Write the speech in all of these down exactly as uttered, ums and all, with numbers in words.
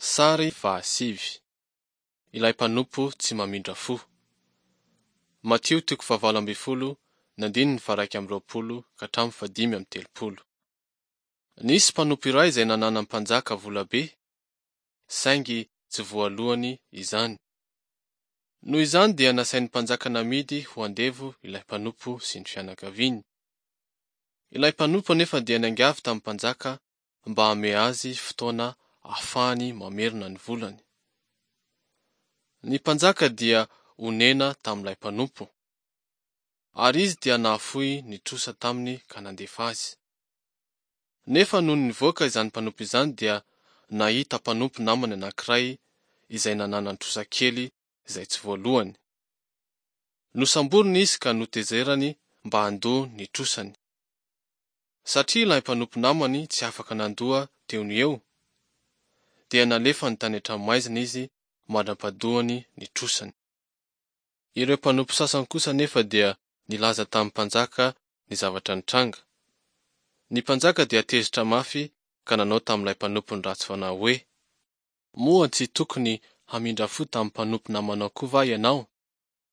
Sary fahasivy. Ilay mpanompo tsy mamindra fo. Matio toko fahavalo ambin'ny folo ny andininy faha-iraika amby roapolo ka hatramin'ny fahadimy amby telopolo. Nisy mpanompo iray izay nananan'ny mpanjaka vola be, saingy tsy voalohany izany. Noho izany dia nasain'ny mpanjaka namidy ho andevo ilay mpanompo sy ny fianakaviany. Ilay mpanompo anefa dia niangavy tamin'ny mpanjaka mba hanome azy fotoana ahafahany mamerina ny volany. Ny mpanjaka dia onena tamin'ilay mpanompo, ary izy dia nahafoy ny trosa taminy ka nandefa azy. Nefa nony nivoaka izany mpanompo izany dia nahita mpanompo namany anankiray izay nananany trosa kely izay tsy voalohany. Nosamboriny izy ka notezerany mba handoa ny trosany. Satria ilay mpanompo namany tsy afaka nandoa teo no eo, dia nalefany tany an-tranomaizina izy mandra-pahadoany ny trosany. Ireo mpanompo sasany kosa anefa dia nilaza tamin'ny mpanjaka ny zavatra nitranga. Ny mpanjaka dia tezitra mafy ka nanao tamin'ilay mpanompony ratsy fanahy hoe: Moa tsy tokony hamindra fo tamin'ny mpanompo namanao koa va ianao,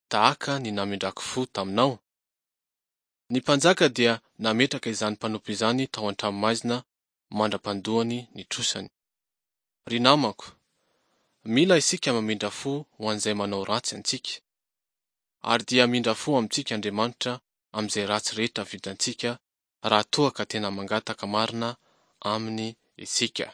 tahaka ny namindrako fo taminao? Ny mpanjaka dia nametraka izany mpanompo izany tao an-tranomaizina mandra-pandoany ny trosany. Ry namako, mila isika mamindra fo ho an'izay manao ratsy antsika. Ary dia hamindra fo amintsika Andriamanitra amin'izay ratsy rehetra vitantsika raha toa ka tena mangataka marina aminy isika.